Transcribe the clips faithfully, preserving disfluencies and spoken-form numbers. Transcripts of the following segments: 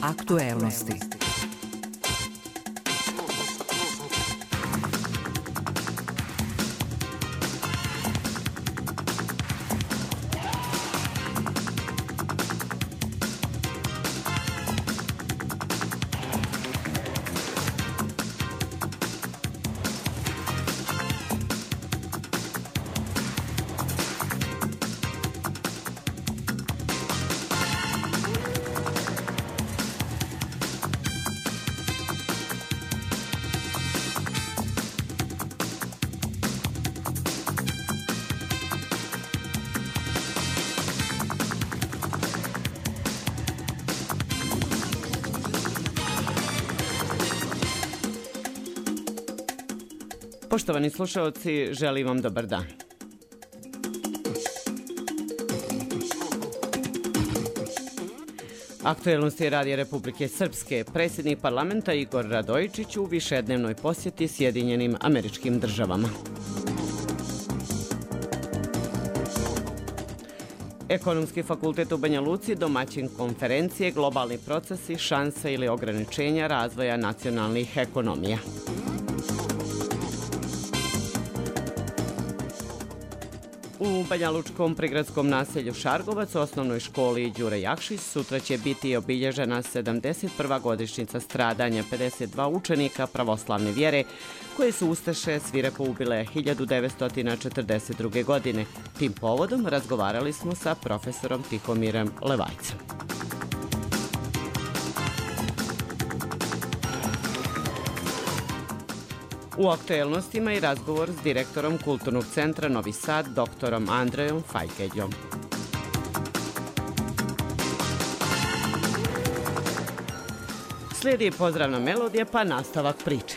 Aktuelnosti. Poštovani slušalci, želim vam dobar dan. Aktuelnosti Radija Republike Srpske. Predsjednik parlamenta Igor Radojičić u višednevnoj posjeti Sjedinjenim Američkim Državama. Ekonomski fakultet u Banja Luci domaćin konferencije Globalni procesi, šanse ili ograničenja razvoja nacionalnih ekonomija. U banjalučkom prigradskom naselju Šargovac u osnovnoj školi Đure Jakšić sutra će biti obilježena sedamdeset prva godišnjica stradanja pedeset dva učenika pravoslavne vjere koje su ustaše svirako ubile hiljadu devetsto četrdeset druge. godine. Tim povodom razgovarali smo sa profesorom Tihomirom Levajcem. U aktuelnostima i razgovor s direktorom Kulturnog centra Novi Sad, doktorom Andrejom Fajkeđom. Slijedi pozdravna melodija pa nastavak priče.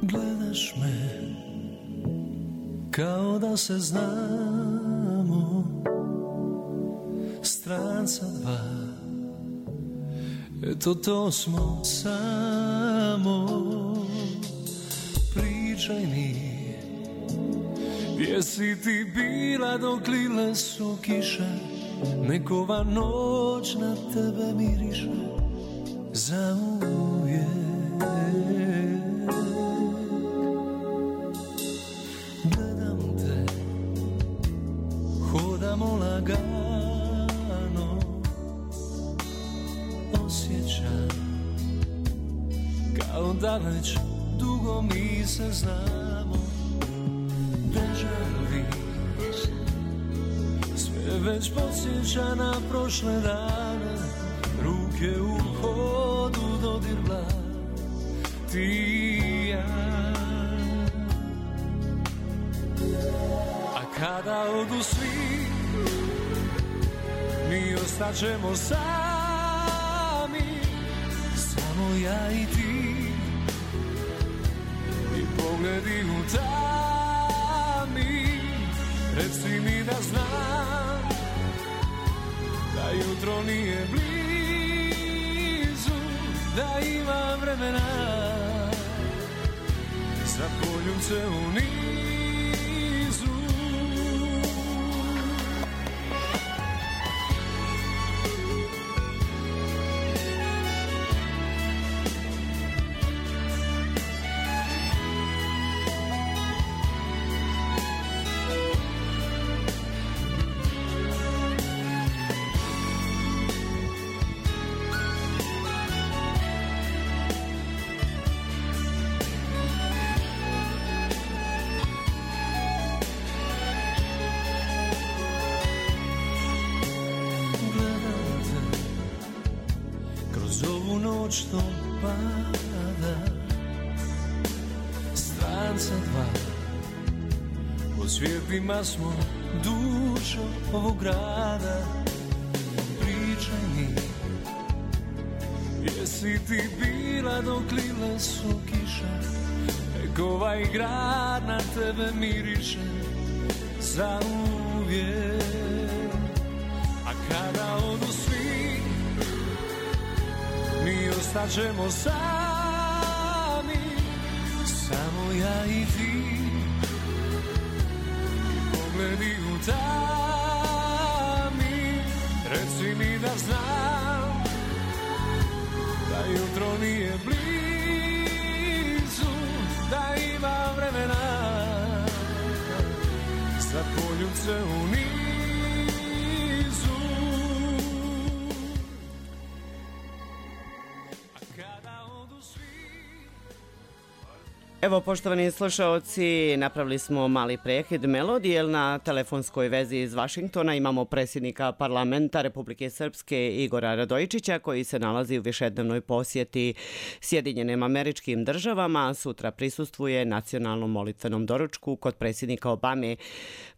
Gledaš me kao da se znamo, stranca dva, eto to smo samo. Pričaj mi, gdje si ti bila dok lile su kiše, nekova noć na tebe miriše zauvijek. Hodamo lagano, osjećam kao da već dugo mi se znamo. Deja vu, sve već podsjeća na prošle dane, ruke u hodu, dodir dlan, ti i ja. Kada odu svi, mi ostaćemo sami, samo ja i ti, i pogledi u tami. Reci mi da znam, da jutro nije blizu, da imam vremena za poljubce u nizu. Što pada, stranca dva, po svijetima smo dušo ovog grada. Pričaj mi, gdje si ti bila dok lile su kiše, nek ovaj grad na tebe miriše zauvijek. A kada odu svi, mi ostaćemo sami, samo ja i ti. Pogledi u tami, reci mi da znam da jutro nije blizu, da ima vremena za poljubce u nizu. A kada odu svi... Evo, poštovani slušaoci, napravili smo mali prekid melodije. Na telefonskoj vezi iz Vašingtona imamo predsjednika parlamenta Republike Srpske Igora Radojičića, koji se nalazi u višednevnoj posjeti Sjedinjenim Američkim Državama. Sutra prisustvuje nacionalnom molitvenom doručku kod predsjednika Obame.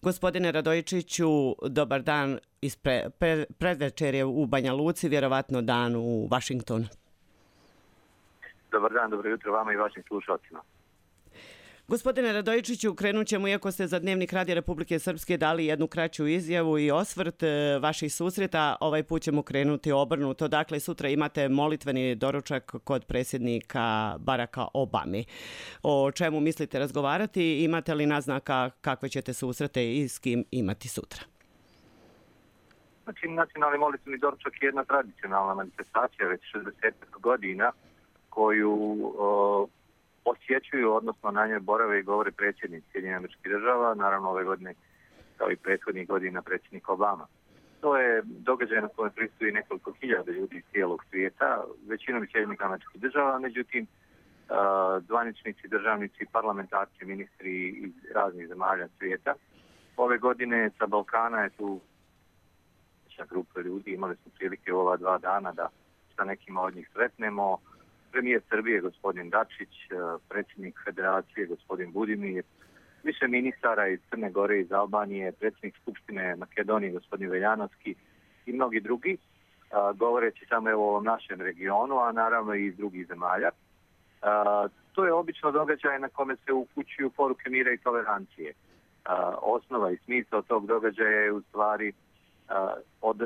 Gospodine Radojičiću, dobar dan iz pre, pre, predvečerje u Banja Luci, vjerovatno dan u Vašingtonu. Dobar dan, dobro jutro vama i vašim slušalcima. Gospodine Radojičiću, krenut ćemo, iako ste za Dnevnik Radija Republike Srpske dali jednu kraću izjavu i osvrt vaših susreta, ovaj put ćemo krenuti obrnuto. Dakle, sutra imate molitveni doručak kod predsjednika Baracka Obame. O čemu mislite razgovarati? Imate li naznaka kakve ćete susrete i s kim imati sutra? Znači, nacionalni molitveni doručak je jedna tradicionalna manifestacija već šezdeset godina koju o, posjećuju, odnosno na njoj borave i govore predsjednici Sjedinjenih Američkih Država, naravno ove godine kao i prethodnih godina predsjednik Obama. To je događaj na kojem pristupi nekoliko hiljada ljudi iz cijelog svijeta, većinom iz Sjedinjenih Američkih Država, međutim zvaničnici, državnici, parlamentarci, ministri iz raznih zemalja svijeta. Ove godine sa Balkana je tu grupa ljudi, imali smo prilike ova dva dana da sa nekima od njih sretnemo. Premijer Srbije, gospodin Dačić, predsjednik Federacije, gospodin Budimir, više ministara iz Crne Gore, iz Albanije, predsjednik Skupštine Makedonije, gospodin Veljanovski i mnogi drugi, govoreći samo evo o ovom našem regionu, a naravno i iz drugih zemalja. To je obično događaj na kome se upućuju poruke mira i tolerancije. Osnova i smisao tog događaja je u stvari od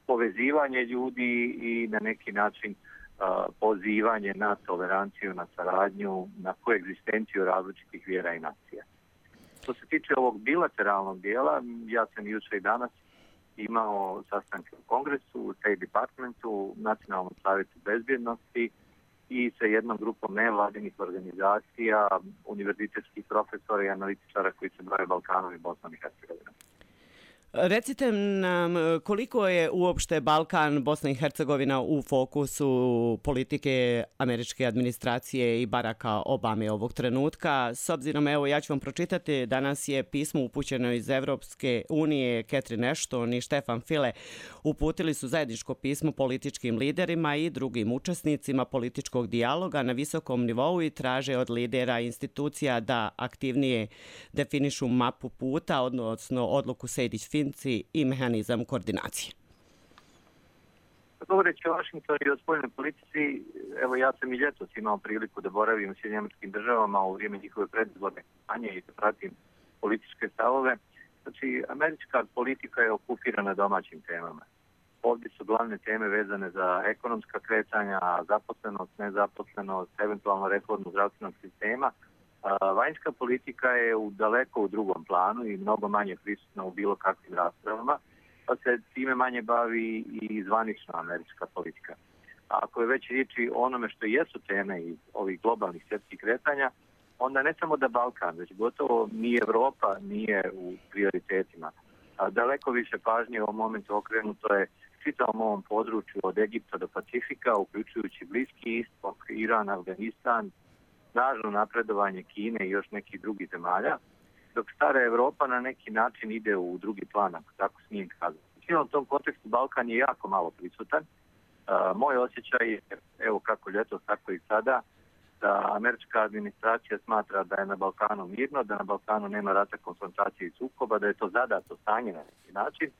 povezivanje ljudi i na neki način pozivanje na toleranciju, na saradnju, na koegzistenciju različitih vjera i nacija. Što se tiče ovog bilateralnog dijela, ja sam jučer i danas imao sastanke u Kongresu, u State Departmentu, u Nacionalnom savjetu bezbjednosti i sa jednom grupom nevladinih organizacija, univerzitetskih profesora i analitičara koji se bave Balkanom i Bosnom i Hercegovinom. Recite nam koliko je uopšte Balkan, Bosna i Hercegovina u fokusu politike američke administracije i Baracka Obame ovog trenutka. S obzirom, evo ja ću vam pročitati, danas je pismo upućeno iz Evropske unije, Catherine Ashton i Stefan File uputili su zajedničko pismo političkim liderima i drugim učesnicima političkog dijaloga na visokom nivou i traže od lidera institucija da aktivnije definišu mapu puta, odnosno odluku Sejdić-Finci i mehanizam koordinacije. Govoreći o Vašingtonu i o spoljnoj politici, evo ja sam i ljetos imao priliku da boravim u Sjedinjenim Američkim Državama u vrijeme njihove predizborne kampanje i da pratim političke stavove. Znači, američka politika je okupirana domaćim temama. Ovdje su glavne teme vezane za ekonomska kretanja, zaposlenost, nezaposlenost, eventualno reformu zdravstvenog sistema. Vanjska politika je u daleko u drugom planu i mnogo manje prisutna u bilo kakvim raspravama, pa se time manje bavi i zvanična američka politika. A ako je već riječi o onome što jesu teme iz ovih globalnih svjetskih kretanja, onda ne samo da Balkan, već gotovo ni Evropa nije u prioritetima. A daleko više pažnje u ovom momentu okrenuto je čitavom ovom području od Egipta do Pacifika, uključujući Bliski istok, Iran, Afganistan, snažno napredovanje Kine i još nekih drugih zemalja, dok stara Evropa na neki način ide u drugi plan, ako tako smijem kazati. U cijelom tom kontekstu Balkan je jako malo prisutan. Uh, moj osjećaj je, evo kako ljetos, tako i sada, da američka administracija smatra da je na Balkanu mirno, da na Balkanu nema rata, konfrontacije i sukoba, da je to zadato stanje na neki način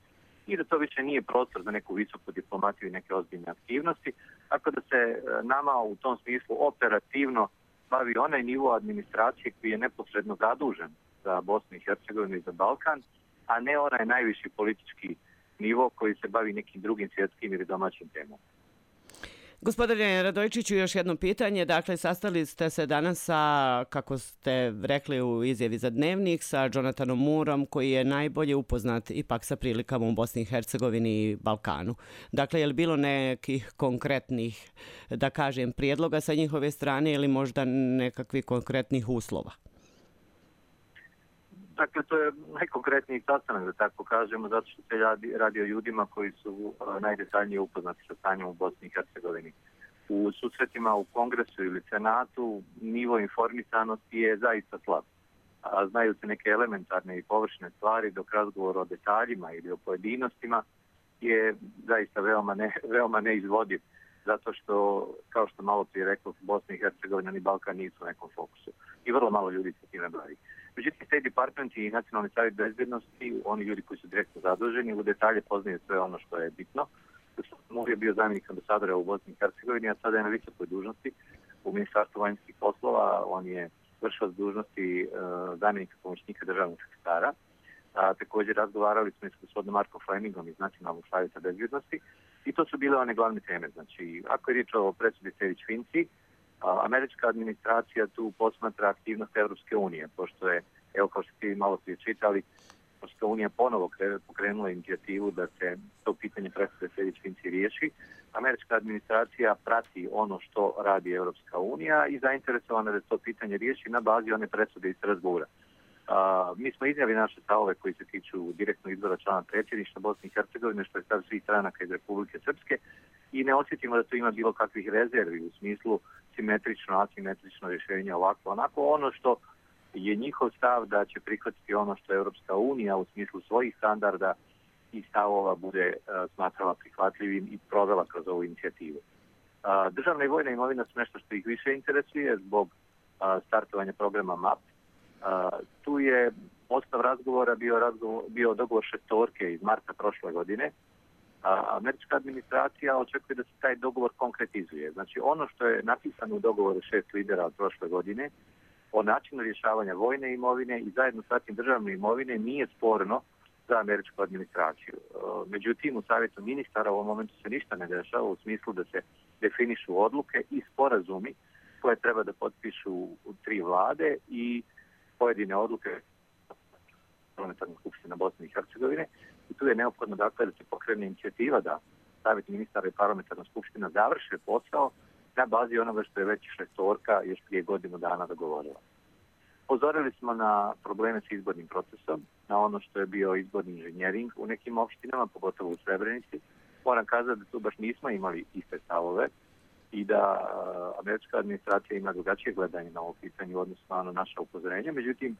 i da to više nije prostor za neku visoku diplomaciju i neke ozbiljne aktivnosti, tako da se nama u tom smislu operativno bavi onaj nivo administracije koji je neposredno zadužen za Bosnu i Hercegovinu i za Balkan, a ne onaj najviši politički nivo koji se bavi nekim drugim svjetskim ili domaćim temom. Gospodine Radojčiću, još jedno pitanje. Dakle, sastali ste se danas sa, kako ste rekli u izjavi za Dnevnik, sa Jonathanom Moorom, koji je najbolje upoznat ipak sa prilikama u Bosni i Hercegovini i Balkanu. Dakle, je li bilo nekih konkretnih, da kažem, prijedloga sa njihove strane ili možda nekakvih konkretnih uslova? Dakle, to je najkonkretniji sastanak, da tako kažemo, zato što se radi, radi o ljudima koji su uh, najdetaljnije upoznati sa stanjem u Bosni i Hercegovini. U susretima u Kongresu ili Senatu nivo informisanosti je zaista slab. A znaju se neke elementarne i površne stvari, dok razgovor o detaljima ili o pojedinostima je zaista veoma, ne, veoma neizvodiv, zato što, kao što malo prije rekao, Bosna i Hercegovina ni Balkan nisu u nekom fokusu. I vrlo malo ljudi se time bavi. Međutim, State Department i Nacionalni savjet bezbjednosti, oni ljudi koji su direktno zaduženi, u detalje poznaju sve ono što je bitno. Mogu je bio zamjenik ambasadora u Bosni i Hercegovini, a sada je na visokoj dužnosti u Ministarstvu vanjskih poslova. On je vršilac dužnosti uh, zamjenika pomoćnika državnog sekretara. A, također razgovarali smo i s gospodinom Markom Flemingom iz Nacionalnog savjeta bezbjednosti i to su bile one glavne teme. Znači, ako je riječ o presudi Sejdić-Finci, američka administracija tu posmatra aktivnost Evropske unije, pošto je, evo kao što ste malo prije čitali, Evropska unija ponovo pokrenula inicijativu da se to pitanje presude Sejdić-Finci riješi. Američka administracija prati ono što radi Evropska unija i zainteresovana da to pitanje riješi na bazi one presude iz Strasbura. Uh, mi smo iznijeli naše stavove koji se tiču direktnog izbora člana predsjedništva Bosne i Hercegovine, što je stav svih stranaka iz Republike Srpske, i ne osjetimo da to ima bilo kakvih rezervi u smislu simetrično, asimetrično rješenje ovako, onako. Ono što je njihov stav da će prihvatiti ono što je Europska unija u smislu svojih standarda i stavova bude uh, smatrala prihvatljivim i provela kroz ovu inicijativu. Uh, državna i vojna imovina su nešto što ih više interesuje zbog uh, startovanja programa M A P. Uh, tu je osnov razgovora bio, razgovor, bio dogovor šestorke iz marta prošle godine. A američka administracija očekuje da se taj dogovor konkretizuje. Znači, ono što je napisano u dogovoru šest lidera od prošle godine o načinu rješavanja vojne imovine i zajedno sa tim državne imovine nije sporno za američku administraciju. Međutim, u savjetu ministara u ovom momentu se ništa ne dešava u smislu da se definišu odluke i sporazumi koje treba da potpišu tri vlade i pojedine odluke Parlamentarne skupštine Bosne i Hercegovine. I tu je neophodno dakle da se pokrene inicijativa da savjet ministara i Parlamentarna skupština završe posao na bazi onoga što je već šestorka još prije godinu dana dogovorila. Pozorili smo na probleme s izbornim procesom, na ono što je bio izborni inženjering u nekim opštinama, pogotovo u Srebrenici. Moram kazati da tu baš nismo imali iste stavove i da američka administracija ima drugačije gledanje na ovo pitanje u odnosu na ono naša upozorenja. Međutim,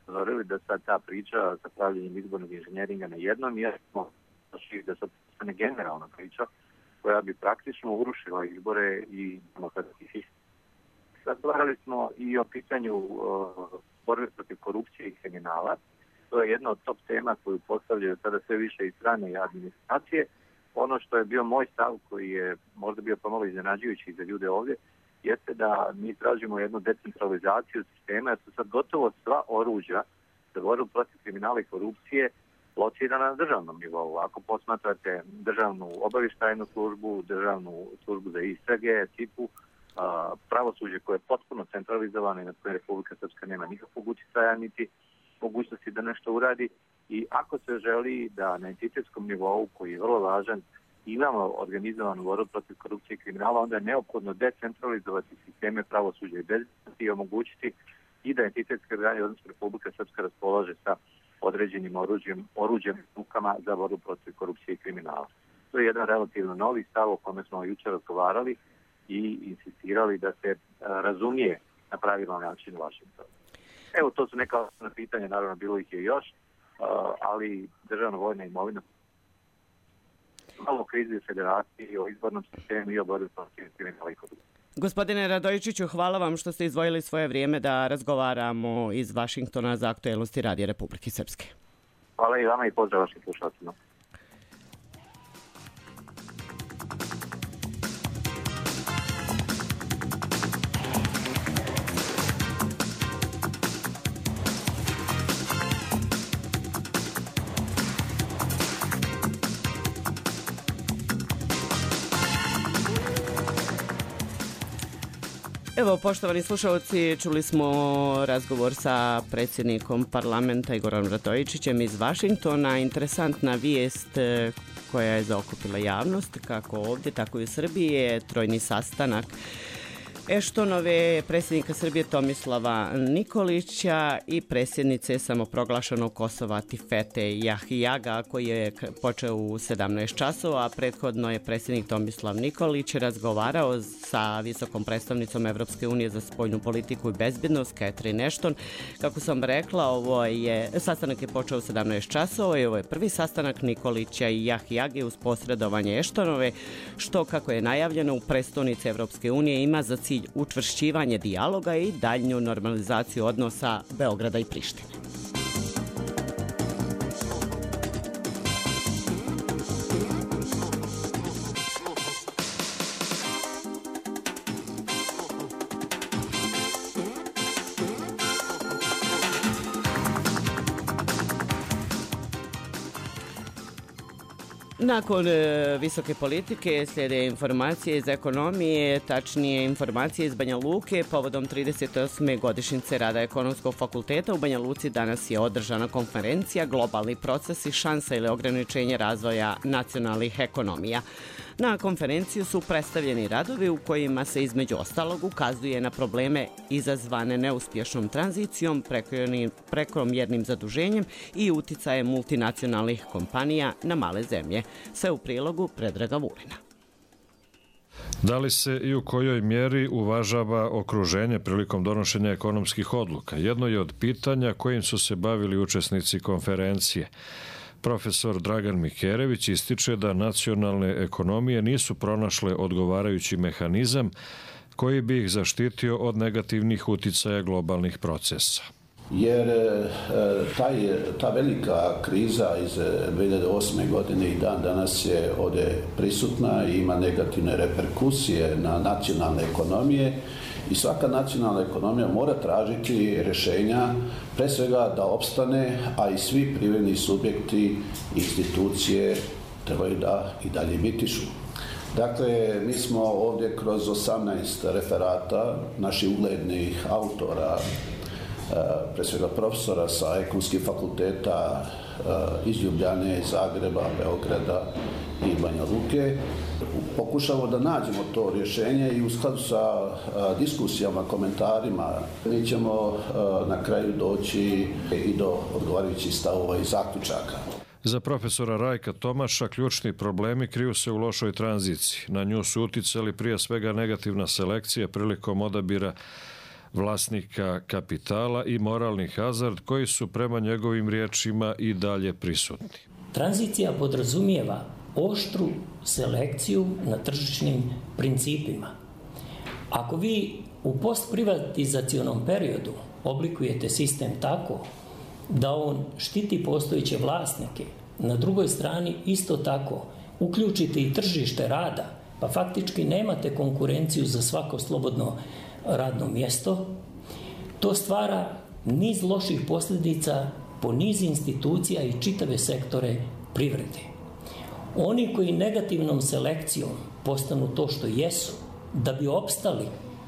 pozorili da sad ta priča sa pravljenjem izbornog inženjeringa na jednom mjestu, da sad postane generalna priča koja bi praktično urušila izbore i demokratski sistem. Razgovarali smo i o pitanju uh, borbe protiv korupcije i kriminala. To je jedna od top tema koju postavljaju sada sve više i strane administracije. Ono što je bio moj stav, koji je možda bio pomalo iznenađujući za ljude ovdje, jeste da mi tražimo jednu decentralizaciju sistema, jer su sad gotovo sva oruđa za borbu protiv kriminala i korupcije locirana na državnom nivou. Ako posmatrate državnu obavještajnu službu, državnu službu za istrage, tipu pravosuđe koje je potpuno centralizovano i na koje Republika Srpska nema nikakvog utjecaja niti mogućnosti da nešto uradi, i ako se želi da na entitetskom nivou, koji je vrlo važan, imamo organizovanu borbu protiv korupcije i kriminala, onda je neophodno decentralizovati sisteme pravosuđa i bezbednosti i omogućiti i da entitetske organe, odnosno Republika Srpska, raspolaže sa određenim oruđem, oruđem rukama za borbu protiv korupcije i kriminala. To je jedan relativno novi stav o kome smo jučer razgovarali i insistirali da se razumije na pravilan način u Washingtonu. Evo, to su neka osnovna pitanja, naravno bilo ih je još, ali državna vojna imovina, malo krizi u federaciji, o izbornom sistemu i o borbi protiv kriminala i korupcije. Gospodine Radojčiću, hvala vam što ste izdvojili svoje vrijeme da razgovaramo iz Vašingtona za aktuelnosti Radija Republike Srpske. Hvala i vama i pozdrav vašim slušalcima. Evo, poštovani slušalci, čuli smo razgovor sa predsjednikom parlamenta Igorom Radojičićem iz Vašingtona. Interesantna vijest koja je zaokupila javnost, kako ovdje, tako i u Srbiji, je trojni sastanak Eštonove, predsjednika Srbije Tomislava Nikolića i predsjednice samoproglašenog Kosova Tifete Jahijaga, koji je počeo u sedamnaest časova, a prethodno je predsjednik Tomislav Nikolić razgovarao sa visokom predstavnicom Evropske unije za spoljnu politiku i bezbjednost Catherine Ashton. Kako sam rekla, ovo je, sastanak je počeo u sedamnaest časova i ovo je prvi sastanak Nikolića i Jahijage uz posredovanje Eštonove, što, kako je najavljeno, u prestonici Evropske unije ima za cilj učvršćivanje dijaloga i daljnju normalizaciju odnosa Beograda i Prištine. Nakon e, visoke politike slijede informacije iz ekonomije, tačnije informacije iz Banja Luke. Povodom trideset osme godišnjice rada Ekonomskog fakulteta u Banja Luci danas je održana konferencija Globalni procesi, šansa ili ograničenje razvoja nacionalnih ekonomija. Na konferenciju su predstavljeni radovi u kojima se između ostalog ukazuje na probleme izazvane neuspješnom tranzicijom, prekomjernim zaduženjem i uticajem multinacionalnih kompanija na male zemlje. Sve u prilogu Predraga Vulina. Da li se i u kojoj mjeri uvažava okruženje prilikom donošenja ekonomskih odluka? Jedno je od pitanja kojim su se bavili učesnici konferencije. Profesor Dragan Mikerević ističe da nacionalne ekonomije nisu pronašle odgovarajući mehanizam koji bi ih zaštitio od negativnih uticaja globalnih procesa. Jer taj, ta velika kriza iz dvije hiljade osme. godine i dan danas je ovdje prisutna i ima negativne reperkusije na nacionalne ekonomije i svaka nacionalna ekonomija mora tražiti rješenja, pre svega da opstane, a i svi privredni subjekti i institucije trebaju da i dalje bitišu. Dakle, mi smo ovdje kroz osamnaest referata naših uglednih autora, pre svega profesora sa ekonomskih fakulteta iz Ljubljane, Zagreba, Beograda i Banja Luke, pokušamo da nađemo to rješenje i u skladu sa diskusijama, komentarima mi ćemo na kraju doći i do odgovarajućih stavova i zaključaka. Za profesora Rajka Tomaša ključni problemi kriju se u lošoj tranziciji. Na nju su uticali prije svega negativna selekcija prilikom odabira vlasnika kapitala i moralni hazard koji su prema njegovim riječima i dalje prisutni. Tranzicija podrazumijeva oštru selekciju na tržišnim principima. Ako vi u postprivatizacionom periodu oblikujete sistem tako da on štiti postojeće vlasnike, na drugoj strani isto tako uključite i tržište rada, pa faktički nemate konkurenciju za svako slobodno radno mjesto, to stvara niz loših posljedica po niz institucija i čitave sektore privrede. Oni koji negativnom selekcijom postanu to što jesu, da bi opstali,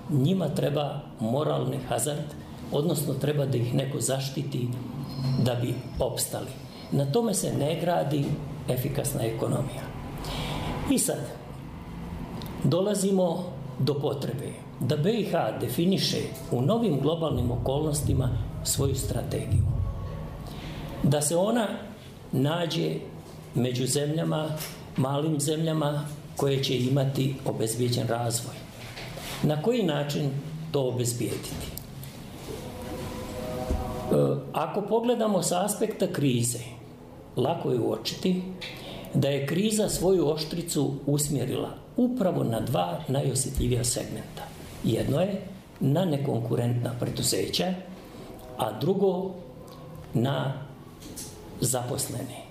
njima treba moralni hazard, odnosno treba da ih neko zaštiti da bi opstali. Na tome se ne gradi efikasna ekonomija. I sad, dolazimo do potrebe da B i H definiše u novim globalnim okolnostima svoju strategiju. Da se ona nađe među zemljama, malim zemljama koje će imati obezbijeđen razvoj. Na koji način to obezbijediti? Ako pogledamo sa aspekta krize, lako je uočiti da je kriza svoju oštricu usmjerila upravo na dva najosjetljivija segmenta. Jedno je na nekonkurentna preduzeća, a drugo na zaposlene.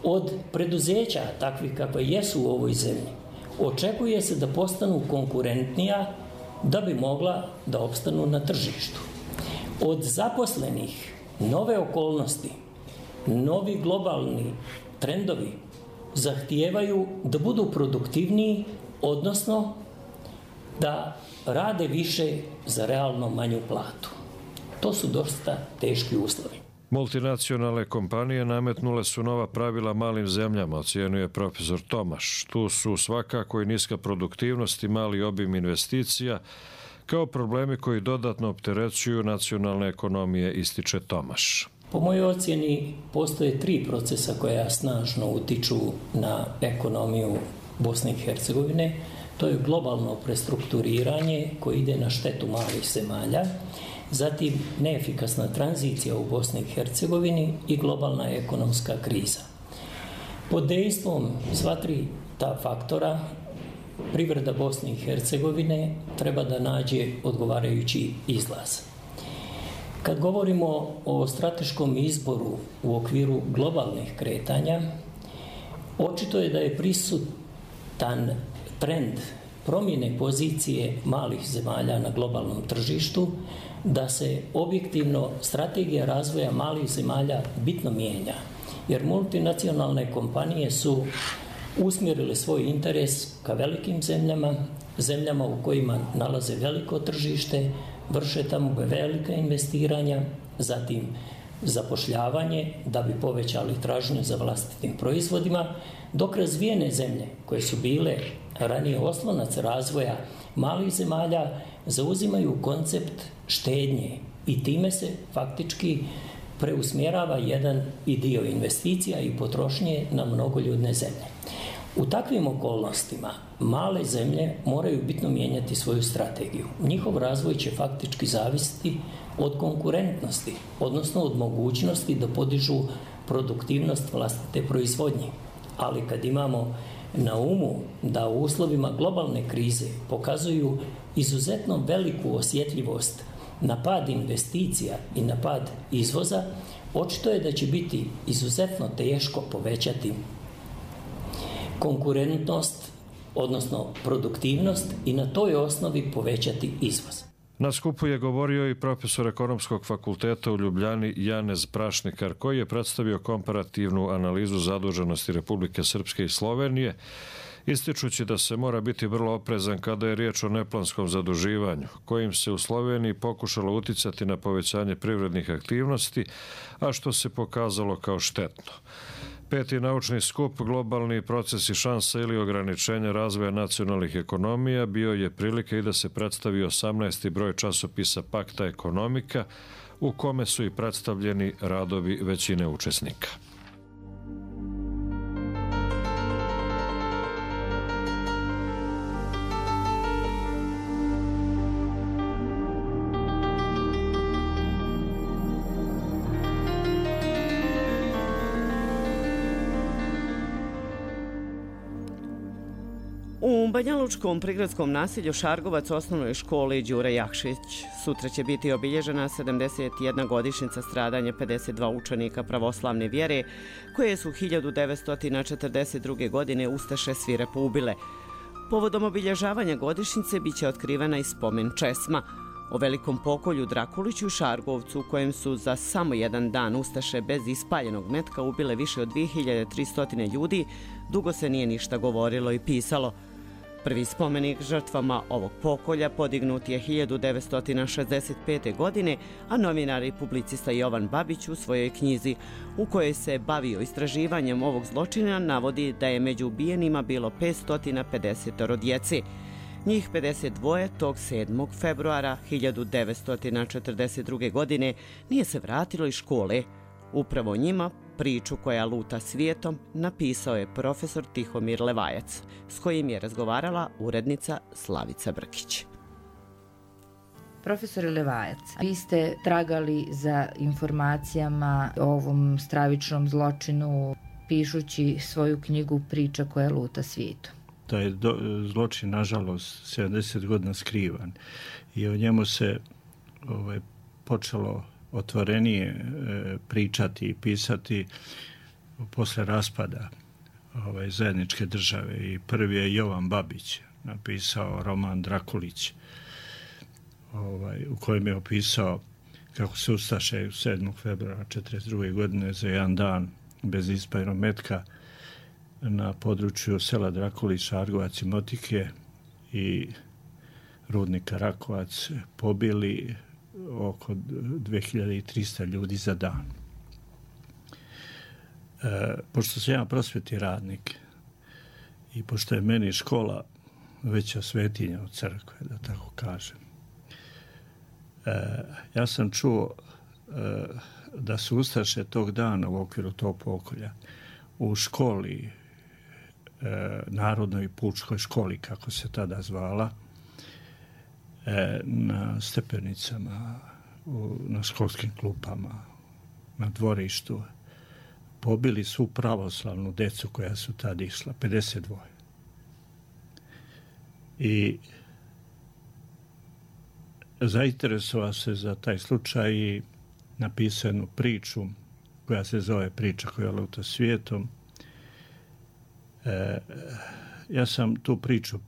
Od preduzeća, takvih kakve jesu u ovoj zemlji, očekuje se da postanu konkurentnija da bi mogla da opstanu na tržištu. Od zaposlenih nove okolnosti, novi globalni trendovi zahtijevaju da budu produktivniji, odnosno da rade više za realno manju platu. To su dosta teški uslovi. Multinacionalne kompanije nametnule su nova pravila malim zemljama, ocjenjuje profesor Tomaš. Tu su svakako i niska produktivnost i mali obim investicija, kao problemi koji dodatno opterećuju nacionalne ekonomije, ističe Tomaš. Po mojoj ocjeni postoje tri procesa koja snažno utiču na ekonomiju Bosne i Hercegovine. To je globalno prestrukturiranje koje ide na štetu malih zemalja, zatim neefikasna tranzicija u Bosni i Hercegovini i globalna ekonomska kriza. Pod dejstvom sva tri ta faktora privreda Bosne i Hercegovine treba da nađe odgovarajući izlaz. Kad govorimo o strateškom izboru u okviru globalnih kretanja, očito je da je prisutan trend promjene pozicije malih zemalja na globalnom tržištu, da se objektivno strategija razvoja malih zemalja bitno mijenja, jer multinacionalne kompanije su usmjerile svoj interes ka velikim zemljama, zemljama u kojima nalaze veliko tržište, vrše tamo velika investiranja, zatim zapošljavanje da bi povećali tražnju za vlastitim proizvodima, dok razvijene zemlje koje su bile ranije oslonac razvoja malih zemalja zauzimaju koncept štednje i time se faktički preusmjerava jedan i dio investicija i potrošnje na mnogoljudne zemlje. U takvim okolnostima male zemlje moraju bitno mijenjati svoju strategiju. Njihov razvoj će faktički zavisiti od konkurentnosti, odnosno od mogućnosti da podižu produktivnost vlastite proizvodnje. Ali kad imamo na umu da u uslovima globalne krize pokazuju izuzetno veliku osjetljivost na pad investicija i na pad izvoza, očito je da će biti izuzetno teško povećati konkurentnost, odnosno produktivnost i na toj osnovi povećati izvoz. Na skupu je govorio i profesor Ekonomskog fakulteta u Ljubljani Janez Prašnikar, koji je predstavio komparativnu analizu zaduženosti Republike Srpske i Slovenije, ističući da se mora biti vrlo oprezan kada je riječ o neplanskom zaduživanju, kojim se u Sloveniji pokušalo uticati na povećanje privrednih aktivnosti, a što se pokazalo kao štetno. Peti naučni skup Globalni procesi šansa ili ograničenja razvoja nacionalnih ekonomija bio je prilika i da se predstavi osamnaesti broj časopisa Pakta ekonomika, u kome su i predstavljeni radovi većine učesnika. U Banjalučkom prigradskom naselju Šargovac osnovnoj školi Đure Jakšić sutra će biti obilježena sedamdeset jedna godišnjica stradanja pedeset dva učenika pravoslavne vjere koje su hiljadu devetsto četrdeset druge. godine ustaše svirepo ubile. Povodom obilježavanja godišnjice biće otkrivena i spomen česma o velikom pokolju Drakuliću i Šargovcu, u kojem su za samo jedan dan ustaše bez ispaljenog metka ubile više od dvije hiljade tristo ljudi, dugo se nije ništa govorilo i pisalo. Prvi spomenik žrtvama ovog pokolja podignut je hiljadu devetsto šezdeset pete. godine, a novinar i publicista Jovan Babić u svojoj knjizi, u kojoj se bavio istraživanjem ovog zločina, navodi da je među ubijenima bilo petsto pedeset djece. Njih pedeset dva tog sedmog februara hiljadu devetsto četrdeset druge. godine nije se vratilo iz škole. Upravo njima priču koja luta svijetom napisao je profesor Tihomir Levajac, s kojim je razgovarala urednica Slavica Brkić. Profesore Levajac, vi ste tragali za informacijama o ovom stravičnom zločinu pišući svoju knjigu Priča koja luta svijetom. Da je do, zločin, nažalost, sedamdeset godina skrivan i o njemu se ovaj, počelo otvorenije e, pričati i pisati posle raspada ovaj, zajedničke države. I prvi je Jovan Babić napisao roman Drakulić, ovaj, u kojem je opisao kako se ustaše sedmog februara četrdeset druge. godine za jedan dan bez ispaljenog metka na području sela Drakulić, Šargovac i Motike i rudnika Rakovac pobili oko dve hiljade trista ljudi za dan. E, pošto sam ja prosvetni radnik i pošto je meni škola veća svetinja od crkve, da tako kažem, e, ja sam čuo e, da su ustaše tog dana u okviru tog pokolja u školi, e, Narodnoj pučkoj školi, kako se tada zvala, e, na stepenicama, u, na školskim klupama, na dvorištu, pobili svu pravoslavnu decu koja su tada išla, pedeset dva. I zainteresovao se za taj slučaj i napisao jednu priču koja se zove Priča koja luta svijetom. E, ja sam tu priču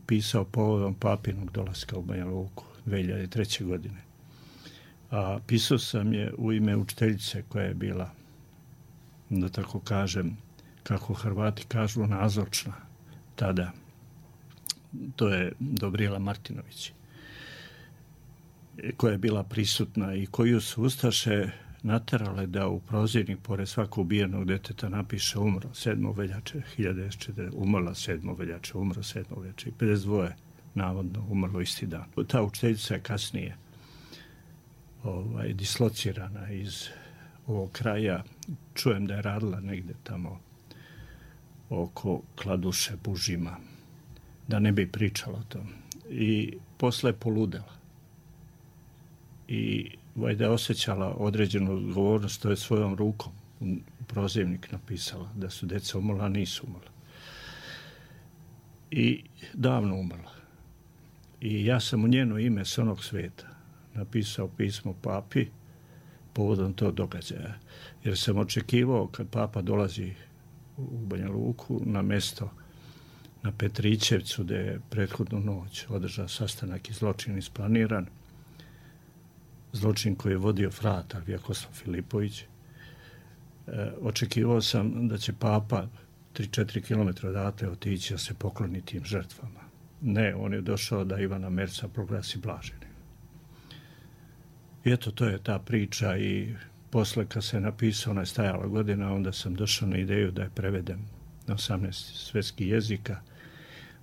pisao povodom papinog dolaska u Banja Luku dve hiljade treće. godine. A pisao sam je u ime učiteljice koja je bila, da tako kažem, kako Hrvati kažu, nazočna tada. To je Dobrijela Martinović, koja je bila prisutna i koju su ustaše naterale da u prozirnik pored svakog ubijenog deteta napiše umro sedmog veljače hiljadu devetsto četrdeset. Umrla sedmog veljače, umro sedmog veljače i pedeset dva navodno umrlo isti dan. Ta učiteljica je kasnije ovaj, dislocirana iz ovog kraja. Čujem da je radila negde tamo oko Kladuše, Bužima, da ne bi pričala o tom. I posle je poludela. I vajda je osjećala određenu odgovornost, to je svojom rukom u prozivnik napisala da su deca umrla, a nisu umrla. I davno umrla. I ja sam u njeno ime s onog sveta napisao pismo papi povodom tog događaja. Jer sam očekivao kad papa dolazi u Banja Luku na mesto na Petrićevcu, gde je prethodnu noć održao sastanak i zločin isplaniran, zločin koji je vodio fratar Vjekoslav Filipović. E, očekivao sam da će papa tri do četiri kilometra odatle otići da se pokloni tim žrtvama. Ne, on je došao da Ivana Merca proglasi blaženim. I eto, to je ta priča i posle kad se napisao, ona je stajala godina, onda sam došao na ideju da je prevedem na osamnaest svetskih jezika,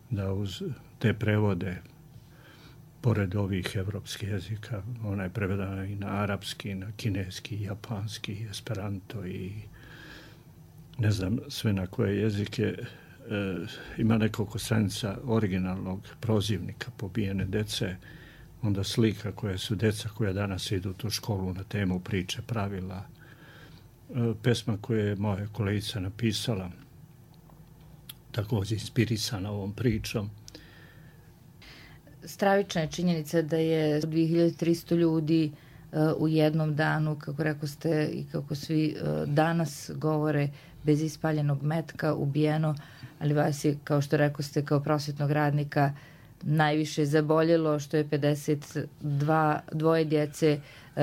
da uz te prevode, pored ovih evropskih jezika, ona je prevedana i na arapski, na kineski, japanski, esperanto i ne znam sve na koje jezike. E, ima nekoliko stranica originalnog prozivnika pobijene dece, onda slika koje su deca koja danas idu u tu školu na temu priče, pravila, e, pesma koje je moja kolegica napisala, također inspirisana ovom pričom. Stravična je činjenica da je dve hiljade tristo ljudi uh, u jednom danu, kako rekao ste i kako svi uh, danas govore, bez ispaljenog metka ubijeno, ali vas je, kao što rekao ste, kao prosvetnog radnika najviše zaboljelo što je pedeset dva dvoje djece uh,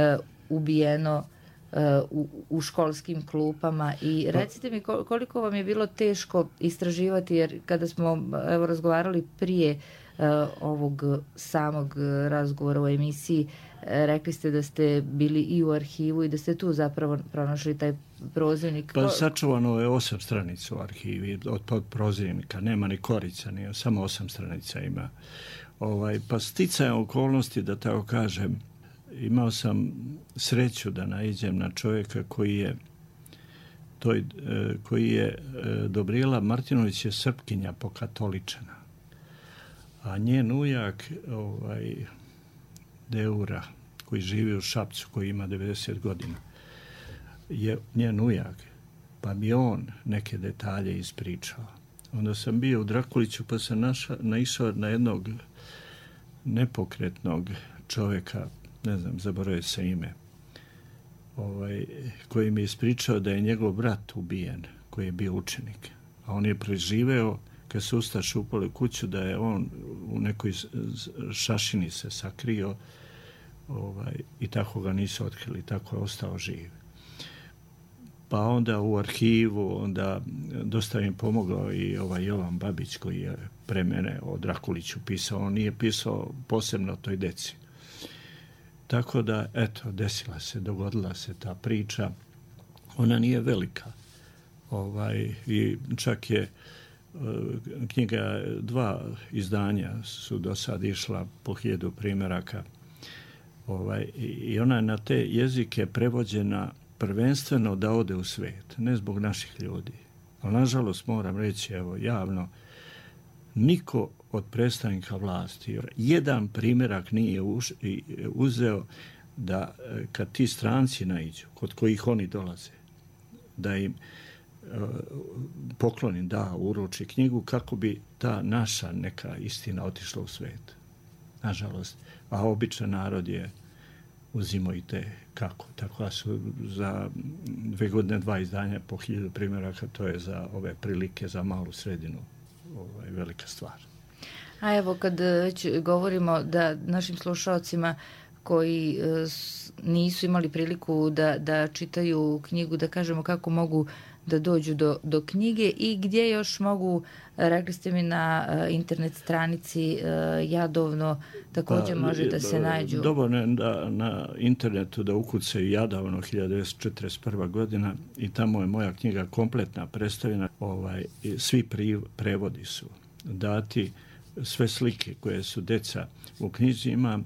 ubijeno uh, u, u školskim klupama. I recite mi koliko vam je bilo teško istraživati, jer kada smo evo razgovarali prije Uh, ovog samog razgovora u emisiji, uh, rekli ste da ste bili i u arhivu i da ste tu zapravo pronašli taj prozivnik. Pa sačuvano je osam stranica u arhivi od, od prozivnika, nema ni korica, ni, samo osam stranica ima. Ovaj, pa sticajem okolnosti, da tako kažem, imao sam sreću da naiđem na čovjeka koji je toj, koji je Dobrijela Martinović je Srpkinja pokatoličena. A njen ujak, ovaj, Deura, koji živi u Šapcu, koji ima devedeset godina, je njen ujak, pa bi on neke detalje ispričao. Onda sam bio u Drakuliću, pa sam naša, naišao na jednog nepokretnog čovjeka, ne znam, zaboravio se ime, ovaj, koji mi je ispričao da je njegov brat ubijen, koji je bio učenik. A on je preživeo kad su ustaše upali u kuću, da je on u nekoj šašini se sakrio, ovaj, i tako ga nisu otkrili, tako je ostao živ. Pa onda u arhivu, onda dosta im pomogao i ovaj Jovan Babić, koji je pre mene o Drakuliću pisao, on nije pisao posebno toj deci. Tako da, eto, desila se, dogodila se ta priča. Ona nije velika. Ovaj, i čak je knjiga, dva izdanja su do sad išla po hiljadu primjeraka. Ovaj, i ona je na te jezike prevođena prvenstveno da ode u svijet, ne zbog naših ljudi. Ali, nažalost, moram reći, evo, javno, niko od predstavnika vlasti jedan primjerak nije uzeo da kad ti stranci naiđu, kod kojih oni dolaze, da im pokloni, da uruči knjigu kako bi ta naša neka istina otišla u svijet. Nažalost. A običan narod je uzimo i te kako. Tako da su za dve godine dva izdanja po hiljadu primjeraka, to je za ove prilike, za malu sredinu ovaj, velika stvar. A evo kad već govorimo da našim slušalcima koji nisu imali priliku da, da čitaju knjigu, da kažemo kako mogu da dođu do, do knjige i gdje još mogu, rekli ste mi na internet stranici Jadovno, također pa, može da se nađu. Dovoljno je da na internetu da ukucaju Jadovno hiljadu devetsto četrdeset prva godina i tamo je moja knjiga kompletna predstavljena. Ovaj, svi pri, prevodi su dati, sve slike koje su deca u knjizi, ima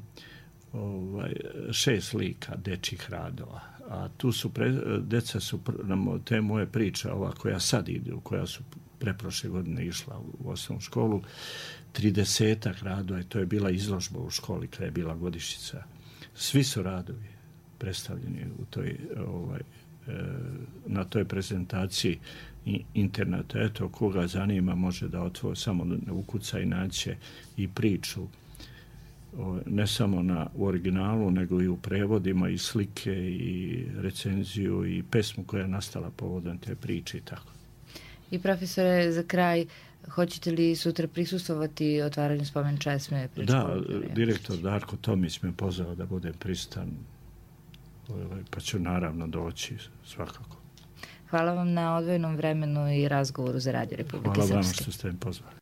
ovaj, šest slika dečjih radova. A tu su, pre, deca su, te moje priče, ova koja sad ide, koja su preprošle godine išla u osnovnu školu, tridesetak radova, i to je bila izložba u školi kada je bila godišnjica. Svi su radovi predstavljeni u toj, ovaj, na toj prezentaciji interneta. Eto, koga zanima može da otvori, samo da ukuca i naće i priču, ne samo na, u originalu, nego i u prevodima, i slike, i recenziju, i pesmu koja je nastala povodom te priče i tako. I profesore, za kraj, hoćete li sutra prisustvovati otvaranju spomen česme? Da, direktor Darko Tomić me pozvao da budem prisutan, pa ću naravno doći svakako. Hvala vam na odvojenom vremenu i razgovoru za Radio Republike Srpske. Hvala vam što ste me pozvali.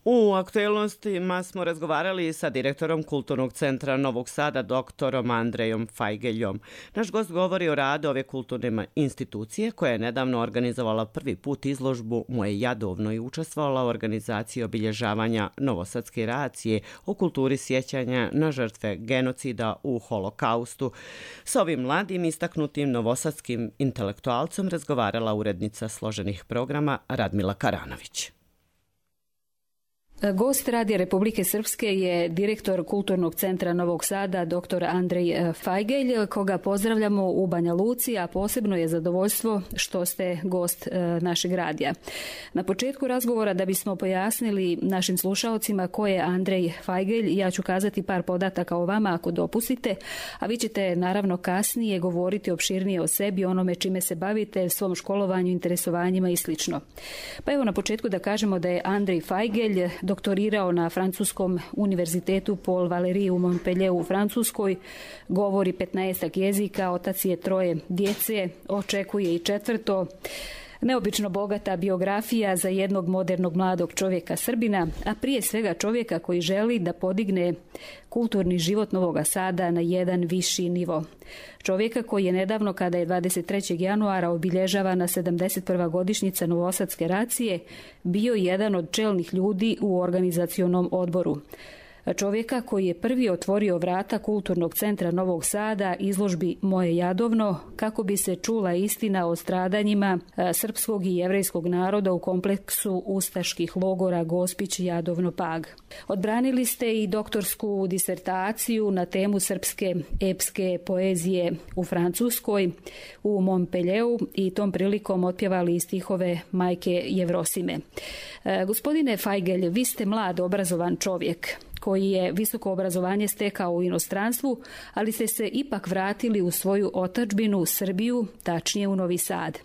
U aktuelnostima smo razgovarali sa direktorom Kulturnog centra Novog Sada, doktorom Andrejom Fajgeljom. Naš gost govori o radu ove kulturne institucije koja je nedavno organizovala prvi put izložbu Moje Jadovno i učestvovala u organizaciji obilježavanja Novosadske racije o kulturi sjećanja na žrtve genocida u Holokaustu. S ovim mladim istaknutim novosadskim intelektualcom razgovarala urednica složenih programa Radmila Karanović. Gost Radija Republike Srpske je direktor Kulturnog centra Novog Sada, doktor Andrej Fajgelj, koga pozdravljamo u Banja Luci, a posebno je zadovoljstvo što ste gost našeg radija. Na početku razgovora, da bismo pojasnili našim slušalcima ko je Andrej Fajgelj, ja ću kazati par podataka o vama ako dopustite, a vi ćete naravno kasnije govoriti opširnije o sebi, onome čime se bavite, svom školovanju, interesovanjima i slično. Pa evo na početku da kažemo da je Andrej Fajgelj doktorirao na Francuskom univerzitetu Paul Valéry u Montpellieru u Francuskoj, govori petnaestak jezika, otac je troje djece, očekuje i četvrto. Neobično bogata biografija za jednog modernog mladog čovjeka Srbina, a prije svega čovjeka koji želi da podigne kulturni život Novoga Sada na jedan viši nivo. Čovjeka koji je nedavno, kada je dvadeset trećeg januara obilježavana sedamdeset prva godišnjica Novosadske racije, bio jedan od čelnih ljudi u organizacionom odboru. Čovjeka koji je prvi otvorio vrata Kulturnog centra Novog Sada izložbi Moje Jadovno kako bi se čula istina o stradanjima srpskog i jevrejskog naroda u kompleksu ustaških logora Gospić, Jadovno, Pag. Odbranili ste i doktorsku disertaciju na temu srpske epske poezije u Francuskoj u Montpellieru i tom prilikom otpjevali i stihove majke Jevrosime. Gospodine Fajgelj, vi ste mlad, obrazovan čovjek koji je visoko obrazovanje stekao u inostranstvu, ali ste se ipak vratili u svoju otadžbinu Srbiju, tačnije u Novi Sad.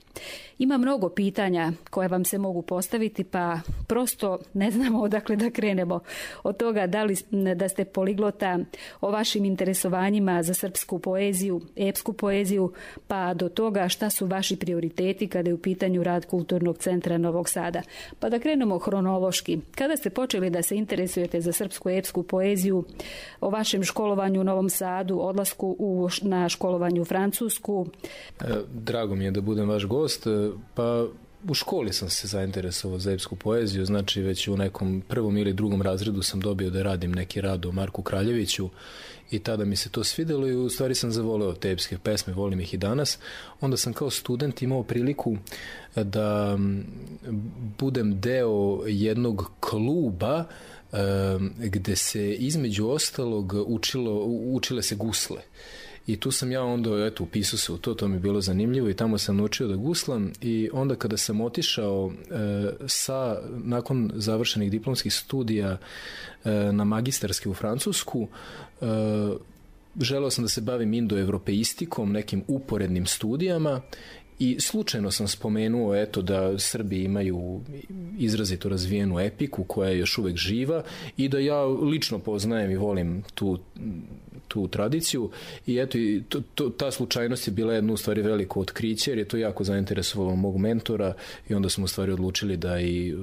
Ima mnogo pitanja koja vam se mogu postaviti, pa prosto ne znamo odakle da krenemo. Od toga da li da ste poliglota, o vašim interesovanjima za srpsku poeziju, epsku poeziju, pa do toga šta su vaši prioriteti kada je u pitanju rad Kulturnog centra Novog Sada. Pa da krenemo hronološki. Kada ste počeli da se interesujete za srpsku epsku poeziju, o vašem školovanju u Novom Sadu, odlasku u, na školovanju u Francusku? Drago mi je da budem vaš gost. Pa u školi sam se zainteresovao za epsku poeziju, znači već u nekom prvom ili drugom razredu sam dobio da radim neki rad o Marku Kraljeviću i tada mi se to svidelo i u stvari sam zavoleo te epske pesme, volim ih i danas. Onda sam kao student imao priliku da budem deo jednog kluba gde se između ostalog učilo, učile se gusle. I tu sam ja onda, eto, upisao se u to, to mi je bilo zanimljivo i tamo sam naučio da guslam i onda kada sam otišao e, sa, nakon završenih diplomskih studija e, na magistarski u Francusku, e, želeo sam da se bavim indoevropeistikom, nekim uporednim studijama i slučajno sam spomenuo eto da Srbi imaju izrazito razvijenu epiku koja je još uvek živa i da ja lično poznajem i volim tu tu tradiciju i eto i to, to, ta slučajnost je bila jedno u stvari veliko otkriće jer je to jako zainteresovalo mog mentora i onda smo u stvari odlučili da i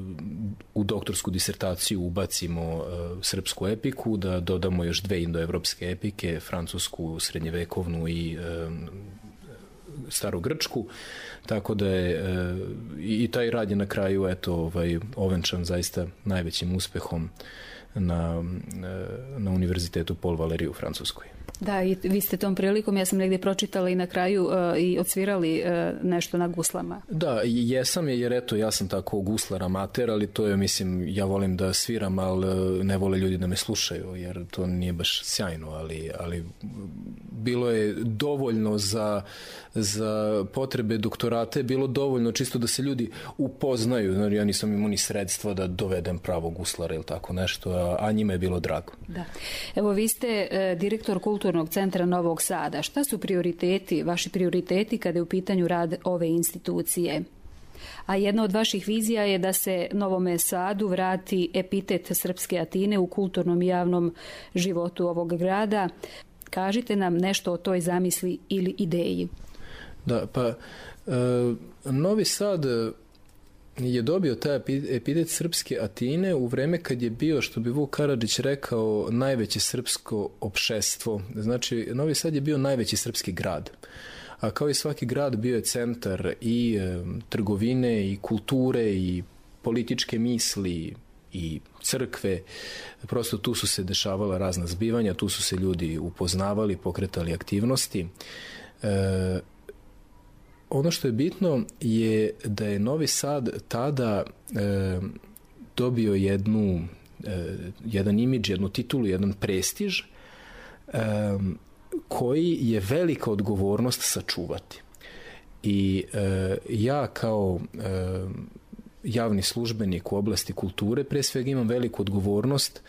u doktorsku disertaciju ubacimo uh, srpsku epiku, da dodamo još dve indoevropske epike, francusku, srednjevekovnu i uh, starogrčku, tako da je uh, i taj rad je na kraju eto ovaj ovenčan zaista najvećim uspehom na, na Univerzitetu Paul Valéry u Francuskoj. Da, i vi ste tom prilikom, ja sam negdje pročitala i na kraju uh, i odsvirali uh, nešto na guslama. Da, jesam je, jer eto, ja sam tako guslar amater, ali to je, mislim, ja volim da sviram, ali ne vole ljudi da me slušaju, jer to nije baš sjajno, ali, ali bilo je dovoljno za, za potrebe doktorate, bilo dovoljno čisto da se ljudi upoznaju, znači ja nisam imao ni sredstva da dovedem pravog guslara ili tako nešto, a, a njima je bilo drago. Da. Evo, vi ste uh, direktor Kulturnog centra Novog Sada. Šta su prioriteti, vaši prioriteti kada je u pitanju rad ove institucije? A jedna od vaših vizija je da se Novome Sadu vrati epitet srpske Atine u kulturnom i javnom životu ovog grada. Kažite nam nešto o toj zamisli ili ideji. Da, pa e, Novi Sad je dobio taj epitet srpske Atine u vreme kad je bio, što bi Vuk Karadžić rekao, najveće srpsko opšestvo. Znači, Novi Sad je bio najveći srpski grad. A kao i svaki grad bio je centar i e, trgovine i kulture i političke misli i crkve. Prosto tu su se dešavala razna zbivanja, tu su se ljudi upoznavali, pokretali aktivnosti. E, Ono što je bitno je da je Novi Sad tada e, dobio jednu, e, jedan imidž, jednu titulu, jedan prestiž e, koji je velika odgovornost sačuvati. I e, ja kao e, javni službenik u oblasti kulture, pre svega imam veliku odgovornost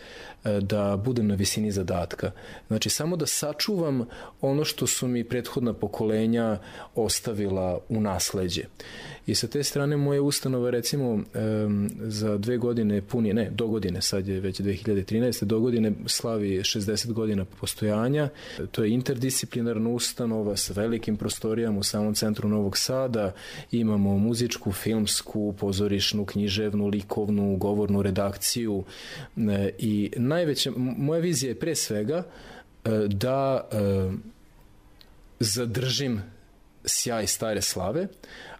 da budem na visini zadatka. Znači, samo da sačuvam ono što su mi prethodna pokolenja ostavila u nasleđe. I sa te strane moje ustanove, recimo, za dve godine punije, ne, do godine, sad je već dve hiljade trinaeste. do godine slavi šezdeset godina postojanja. To je interdisciplinarna ustanova sa velikim prostorijama u samom centru Novog Sada. Imamo muzičku, filmsku, pozorišnu, književnu, likovnu, govornu redakciju i najveća, moja vizija je pre svega da zadržim sjaj stare slave,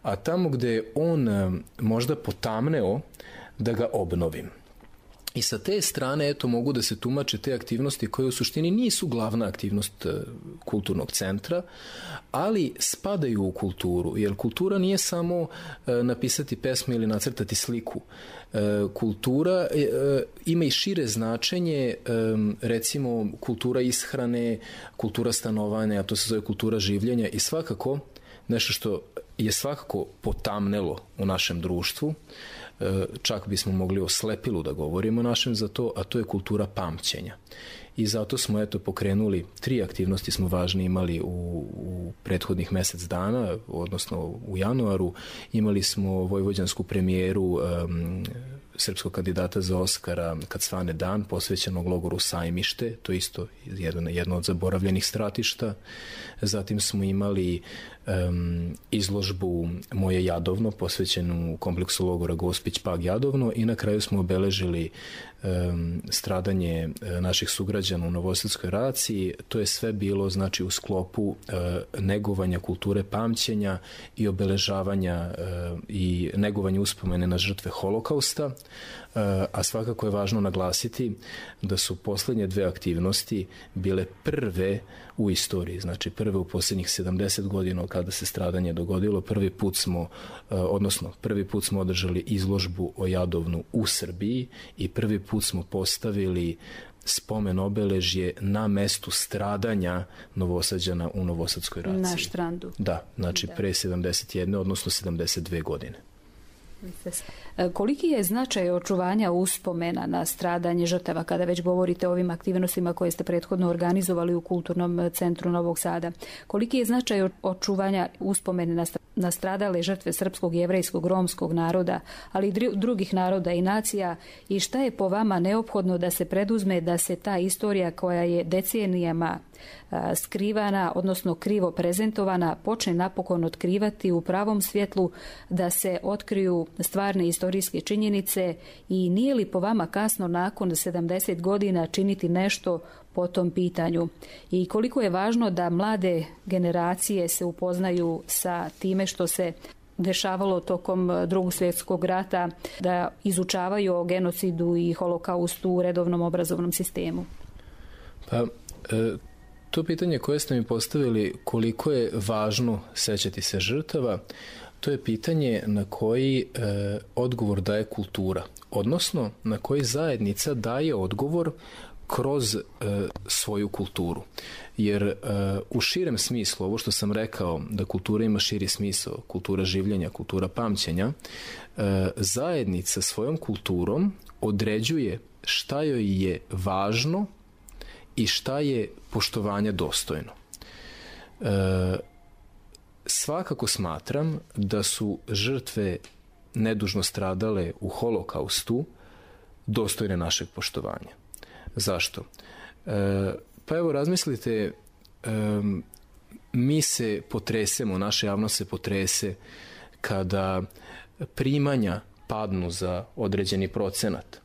a tamo gde je on možda potamneo, da ga obnovim. I sa te strane, eto, mogu da se tumače te aktivnosti koje u suštini nisu glavna aktivnost kulturnog centra, ali spadaju u kulturu, jer kultura nije samo napisati pesmu ili nacrtati sliku. Kultura ima i šire značenje, recimo kultura ishrane, kultura stanovanja, a to se zove kultura življenja i svakako nešto što je svakako potamnelo u našem društvu, čak bismo mogli o slepilu da govorimo našem za to, a to je kultura pamćenja. I zato smo eto pokrenuli, tri aktivnosti smo važne imali u, u prethodnih mesec dana, odnosno u januaru. Imali smo vojvođansku premijeru um, srpskog kandidata za Oskara Kad svane dan, posvećenog logoru Sajmište, to je isto jedno, jedno od zaboravljenih stratišta. Zatim smo imali um, izložbu Moje Jadovno, posvećenu kompleksu logora Gospić Pag Jadovno, i na kraju smo obeležili um, stradanje naših sugrađana u Novosadskoj raciji. To je sve bilo znači u sklopu uh, negovanja kulture pamćenja i obeležavanja uh, i negovanja uspomene na žrtve Holokausta, uh, a svakako je važno naglasiti da su poslednje dve aktivnosti bile prve u istoriji, znači prve u posljednjih sedamdeset godina kada se stradanje dogodilo. Prvi put smo, odnosno prvi put smo održali izložbu o Jadovnu u Srbiji i prvi put smo postavili spomen obeležje na mestu stradanja Novosađana u Novosadskoj raciji. Na Štrandu. Da, znači da. Pre sedamdeset jedne, odnosno sedamdeset dve godine. Koliki je značaj očuvanja uspomena na stradanje žrtava kada već govorite o ovim aktivnostima koje ste prethodno organizovali u Kulturnom centru Novog Sada? Koliki je značaj očuvanja uspomena na stradale žrtve srpskog, jevrejskog, romskog naroda, ali i drugih naroda i nacija, i šta je po vama neophodno da se preduzme da se ta istorija koja je decenijama skrivana, odnosno krivo prezentovana, počne napokon otkrivati u pravom svjetlu, da se otkriju stvarne istorijske činjenice, i nije li po vama kasno nakon sedamdeset godina činiti nešto po tom pitanju? I koliko je važno da mlade generacije se upoznaju sa time što se dešavalo tokom Drugog svjetskog rata, da izučavaju o genocidu i holokaustu u redovnom obrazovnom sistemu? Pa, e... To pitanje koje ste mi postavili, koliko je važno sećati se žrtava, to je pitanje na koji e, odgovor daje kultura, odnosno na koji zajednica daje odgovor kroz e, svoju kulturu. Jer e, u širem smislu, ovo što sam rekao, da kultura ima širi smisao, kultura življenja, kultura pamćenja, e, zajednica svojom kulturom određuje šta joj je važno i šta je poštovanja dostojno. E, svakako smatram da su žrtve nedužno stradale u Holokaustu dostojne našeg poštovanja. Zašto? E, pa evo razmislite, e, mi se potresemo, naša javnost se potrese kada primanja padnu za određeni procenat,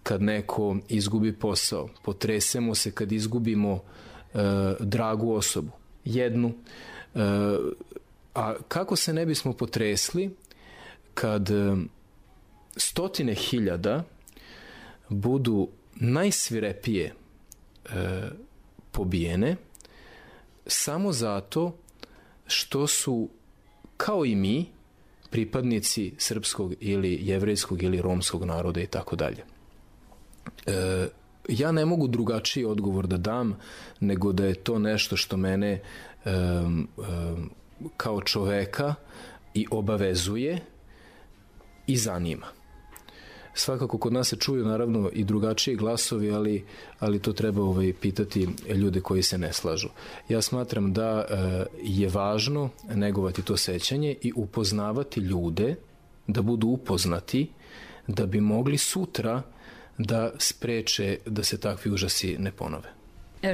kad neko izgubi posao, potresemo se kad izgubimo e, dragu osobu, jednu. E, a kako se ne bismo potresli kad e, stotine hiljada budu najsvirepije e, pobijene samo zato što su, kao i mi, pripadnici srpskog ili jevrejskog ili romskog naroda i tako dalje. E, ja ne mogu drugačiji odgovor da dam nego da je to nešto što mene e, e, kao čoveka i obavezuje i zanima. Svakako kod nas se čuju naravno i drugačiji glasovi, ali, ali to treba ovaj, pitati ljude koji se ne slažu. Ja smatram da e, je važno negovati to sećanje i upoznavati ljude, da budu upoznati, da bi mogli sutra da spreče da se takvi užasi ne ponove.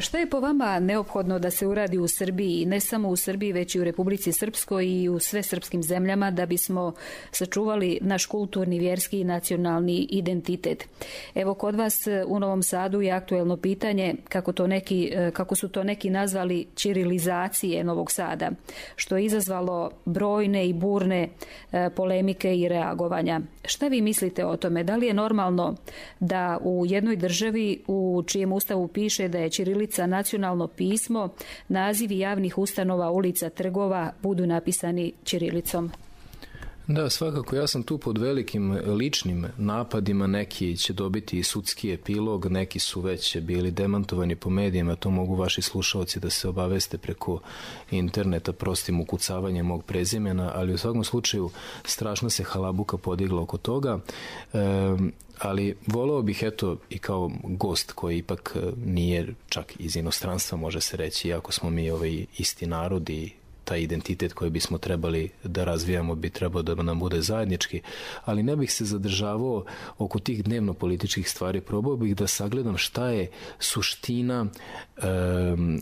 Šta je po vama neophodno da se uradi u Srbiji, ne samo u Srbiji, već i u Republici Srpskoj i u sve srpskim zemljama, da bismo sačuvali naš kulturni, vjerski i nacionalni identitet? Evo, kod vas u Novom Sadu je aktuelno pitanje, kako, to neki, kako su to neki nazvali, ćirilizacije Novog Sada, što je izazvalo brojne i burne polemike i reagovanja. Šta vi mislite o tome? Da li je normalno da u jednoj državi u čijem ustavu piše da je ćirilica nacionalno pismo, nazivi javnih ustanova, ulica, trgova budu napisani ćirilicom? Da, svakako, ja sam tu pod velikim ličnim napadima, neki će dobiti i sudski epilog, neki su već bili demantovani po medijima, to mogu vaši slušalci da se obaveste preko interneta prostim ukucavanjem mog prezimena, ali u svakom slučaju strašno se halabuka podigla oko toga, e, ali voleo bih, eto, i kao gost koji ipak nije čak iz inostranstva, može se reći, iako smo mi ovaj isti narod i taj identitet koji bismo trebali da razvijamo bi trebao da nam bude zajednički, ali ne bih se zadržavao oko tih dnevno političkih stvari. Probao bih da sagledam šta je suština um,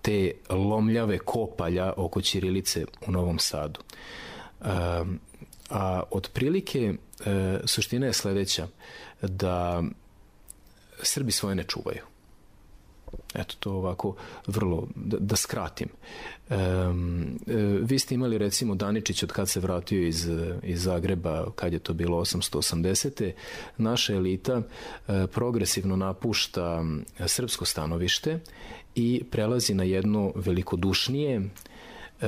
te lomljave kopalja oko ćirilice u Novom Sadu. Um, a otprilike uh, suština je sledeća, da Srbi svoje ne čuvaju. Eto, to ovako vrlo, da, da skratim. E, e, vi ste imali recimo Daničić od kad se vratio iz, iz Zagreba, kad je to bilo osamsto osamdesete. Naša elita e, progresivno napušta srpsko stanovište i prelazi na jedno velikodušnije e,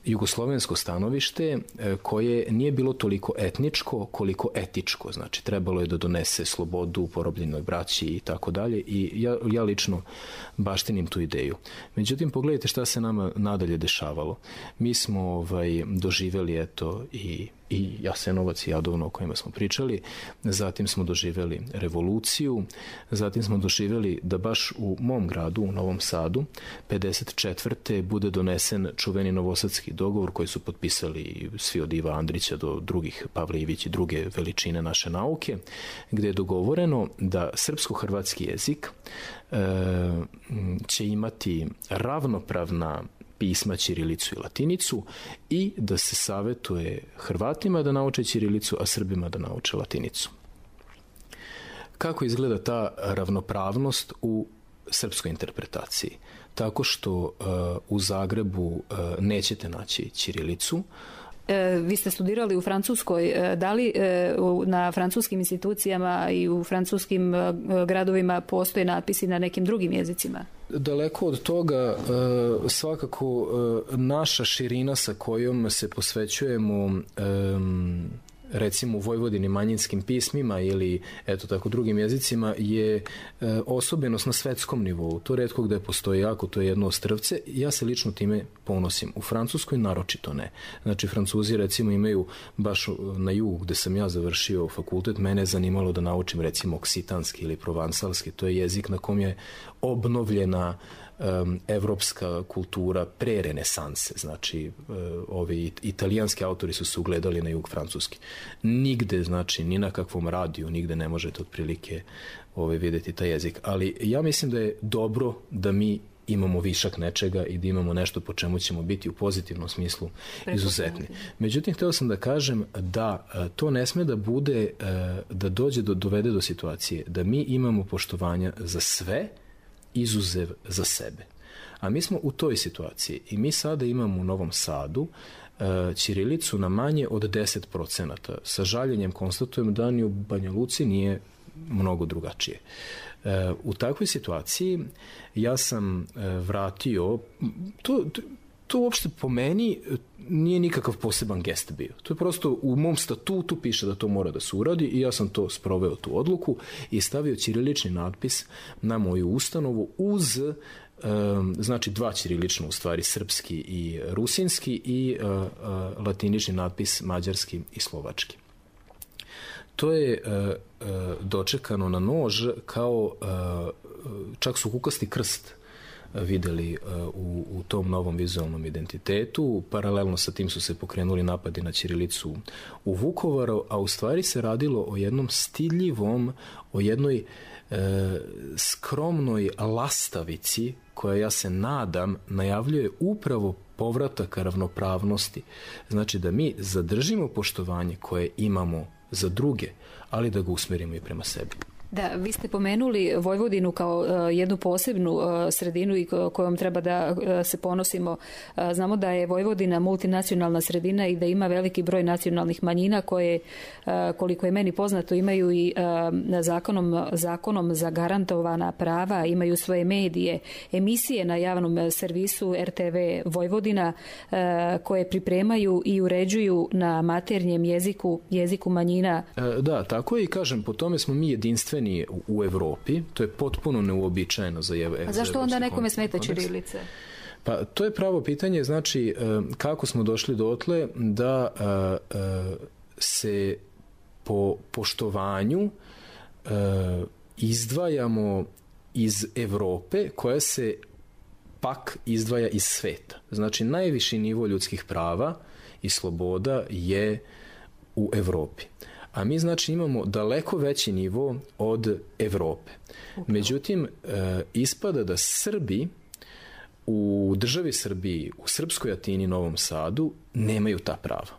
jugoslovensko stanovište koje nije bilo toliko etničko koliko etičko, znači trebalo je da donese slobodu porobljenoj braći i tako dalje, i ja, ja lično baštinim tu ideju. Međutim, pogledajte šta se nama nadalje dešavalo. Mi smo ovaj, doživeli eto i i Jasenovac i Jadovno o kojima smo pričali, zatim smo doživeli revoluciju, zatim smo doživeli da baš u mom gradu, u Novom Sadu, pedeset četvrte bude donesen čuveni novosadski dogovor koji su potpisali svi od Iva Andrića do drugih, Pavle Ivić i druge veličine naše nauke, gde je dogovoreno da srpsko-hrvatski jezik e, će imati ravnopravna pisma ćirilicu i latinicu i da se savetuje Hrvatima da nauče ćirilicu, a Srbima da nauče latinicu. Kako izgleda ta ravnopravnost u srpskoj interpretaciji? Tako što uh, u Zagrebu uh, nećete naći ćirilicu. E, vi ste studirali u Francuskoj. E, da li e, u, na francuskim institucijama i u francuskim e, gradovima postoje natpisi na nekim drugim jezicima? Daleko od toga, svakako naša širina sa kojom se posvećujemo recimo u Vojvodini manjinskim pismima ili eto tako drugim jezicima je osobenost na svetskom nivou. To retko gde postoji, jako to je jedno ostrvce. Ja se lično time ponosim. U Francuskoj naročito ne. Znači Francuzi recimo imaju baš na jugu gde sam ja završio fakultet, mene je zanimalo da naučim recimo oksitanski ili provansalski. To je jezik na kom je obnovljena um, evropska kultura pre renesanse. Znači uh, ovi italijanski autori su se ugledali na jug francuski. Nigde, znači, ni na kakvom radiju, nigde ne možete otprilike ovaj, vidjeti taj jezik. Ali ja mislim da je dobro da mi imamo višak nečega i da imamo nešto po čemu ćemo biti u pozitivnom smislu izuzetni. Međutim, hteo sam da kažem da to ne sme da bude, da dođe do, dovede do situacije da mi imamo poštovanja za sve, izuzev za sebe. A mi smo u toj situaciji i mi sada imamo u Novom Sadu ćirilicu na manje od deset procenata. Sa žaljenjem konstatujem da ni u Banja Luci nije mnogo drugačije. U takvoj situaciji ja sam vratio, to, to uopšte po meni nije nikakav poseban gest bio. To je prosto u mom statutu piše da to mora da se uradi i ja sam to sproveo tu odluku i stavio ćirilični natpis na moju ustanovu uz znači dva ćirilična u stvari, srpski i rusinski i latinični natpis mađarski i slovački. To je dočekano na nož kao, čak su kukasti krst videli u, u tom novom vizualnom identitetu. Paralelno sa tim su se pokrenuli napadi na ćirilicu u Vukovaru, a u stvari se radilo o jednom stidljivom, o jednoj e, skromnoj lastavici koja, ja se nadam, najavljuje upravo povratak ravnopravnosti. Znači da mi zadržimo poštovanje koje imamo za druge, ali da ga usmerimo i prema sebi. Da, vi ste pomenuli Vojvodinu kao uh, jednu posebnu uh, sredinu i kojom treba da uh, se ponosimo. Uh, znamo da je Vojvodina multinacionalna sredina i da ima veliki broj nacionalnih manjina koje, uh, koliko je meni poznato, imaju i uh, zakonom, zakonom zagarantovana prava, imaju svoje medije, emisije na javnom servisu R T V Vojvodina uh, koje pripremaju i uređuju na maternjem jeziku, jeziku manjina. Uh, da, tako je i kažem, po tome smo mi jedinstveni u Evropi, to je potpuno neuobičajeno za evropski kontekst. A zašto onda nekome smeta ćirilica? Pa to je pravo pitanje, znači kako smo došli dotle da se po poštovanju izdvajamo iz Evrope koja se pak izdvaja iz sveta. Znači najviši nivo ljudskih prava i sloboda je u Evropi. A mi znači imamo daleko veći nivo od Evrope. Međutim, e, ispada da Srbi u državi Srbiji, u Srpskoj Atini, Novom Sadu, nemaju ta prava.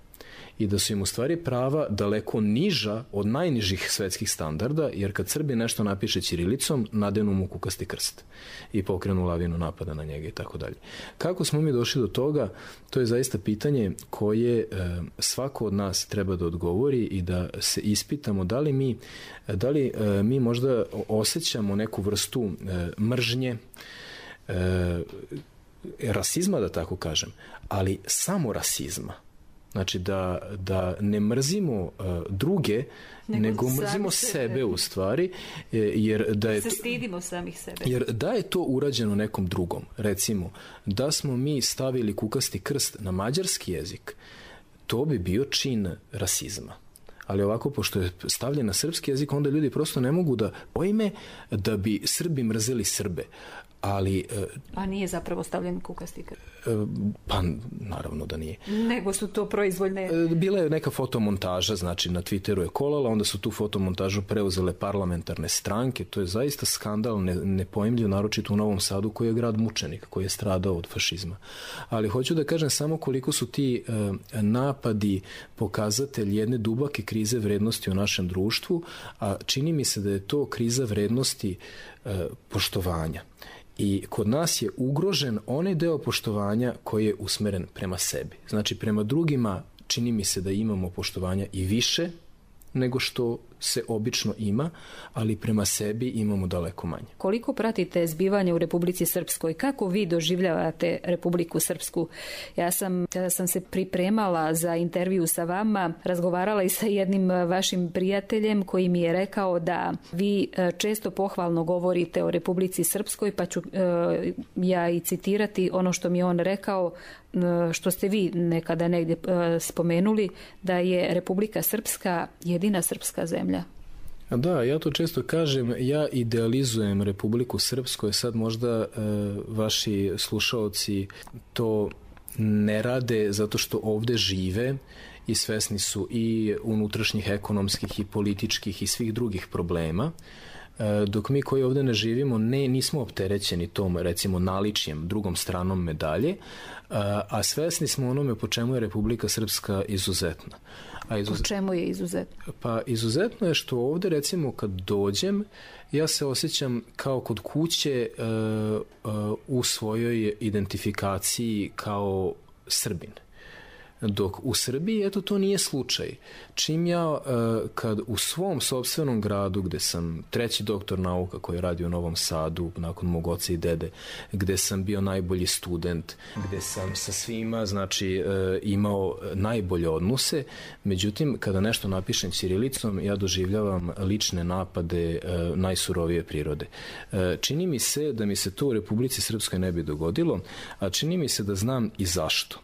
I da su im u stvari prava daleko niža od najnižih svetskih standarda, jer kad Srbi nešto napiše ćirilicom, nadenu mu kukasti krst i pokrenu lavinu napada na njega i tako dalje. Kako smo mi došli do toga, to je zaista pitanje koje e, svako od nas treba da odgovori i da se ispitamo da li mi, da li, e, mi možda osjećamo neku vrstu e, mržnje, e, rasizma, da tako kažem, ali samo rasizma. Znači da, da ne mrzimo uh, druge, nego, nego mrzimo sebe. sebe u stvari, jer da je se stidimo samih sebe. Jer da je to urađeno nekom drugom, recimo da smo mi stavili kukasti krst na mađarski jezik, to bi bio čin rasizma. Ali ovako, pošto je stavljen na srpski jezik, onda ljudi prosto ne mogu da pojme da bi Srbi mrzeli Srbe. Ali, a nije zapravo stavljen kukasti krst? Pa naravno da nije. Nego su to proizvoljne... Bila je neka fotomontaža, znači na Twitteru je kolala, onda su tu fotomontažu preuzele parlamentarne stranke. To je zaista skandal, ne, nepojmljiv, naročito u Novom Sadu koji je grad mučenik, koji je stradao od fašizma. Ali hoću da kažem samo koliko su ti uh, napadi pokazatelj jedne dubake krize vrednosti u našem društvu, a čini mi se da je to kriza vrednosti uh, poštovanja. I kod nas je ugrožen onaj deo poštovanja koji je usmeren prema sebi. Znači, prema drugima čini mi se da imamo poštovanja i više nego što se obično ima, ali prema sebi imamo daleko manje. Koliko pratite zbivanje u Republici Srpskoj? Kako vi doživljavate Republiku Srpsku? Ja sam, kada sam se pripremala za intervju sa vama, razgovarala i sa jednim vašim prijateljem koji mi je rekao da vi često pohvalno govorite o Republici Srpskoj, pa ću e, ja i citirati ono što mi je on rekao, što ste vi nekada negdje e, spomenuli, da je Republika Srpska jedina srpska zemlja. Da, ja to često kažem, ja idealizujem Republiku Srpsku, sad možda e, vaši slušaoci to ne rade zato što ovde žive i svesni su i unutrašnjih ekonomskih i političkih i svih drugih problema, e, dok mi koji ovde ne živimo ne, nismo opterećeni tom, recimo, naličjem, drugom stranom medalje, a, a svesni smo onome po čemu je Republika Srpska izuzetna. A izuzet... Po čemu je izuzetno? Pa izuzetno je što ovde, recimo, kad dođem, ja se osjećam kao kod kuće uh, uh, u svojoj identifikaciji kao Srbin. Dok u Srbiji, eto, to nije slučaj. Čim ja, kad u svom sopstvenom gradu, gde sam treći doktor nauka koji radi u Novom Sadu, nakon mog oca i dede, gde sam bio najbolji student, gde sam sa svima, znači, imao najbolje odnose, međutim, kada nešto napišem ćirilicom, ja doživljavam lične napade najsurovije prirode. Čini mi se da mi se to u Republici Srpskoj ne bi dogodilo, a čini mi se da znam i zašto.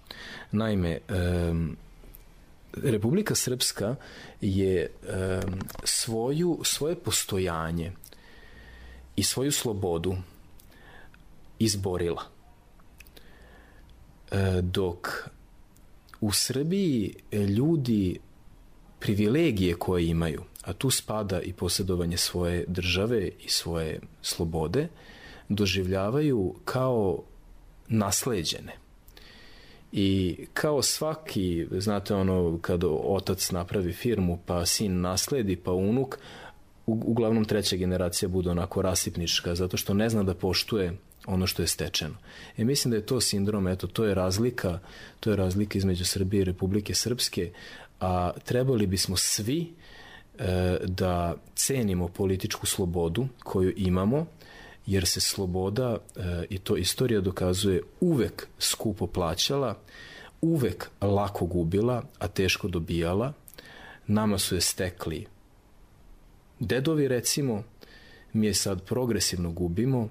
Naime, um, Republika Srpska je um, svoju, svoje postojanje i svoju slobodu izborila. E, dok u Srbiji ljudi privilegije koje imaju, a tu spada i posjedovanje svoje države i svoje slobode, doživljavaju kao nasleđene. I kao svaki, znate ono, kad otac napravi firmu, pa sin nasledi, pa unuk, uglavnom treća generacija bude onako rasipnička, zato što ne zna da poštuje ono što je stečeno. E, mislim da je to sindrom, eto, to je razlika, to je razlika između Srbije i Republike Srpske, a trebali bismo svi e, da cenimo političku slobodu koju imamo, jer se sloboda, e, i to istorija dokazuje, uvek skupo plaćala, uvek lako gubila, a teško dobijala. Nama su je stekli dedovi, recimo, mi je sad progresivno gubimo,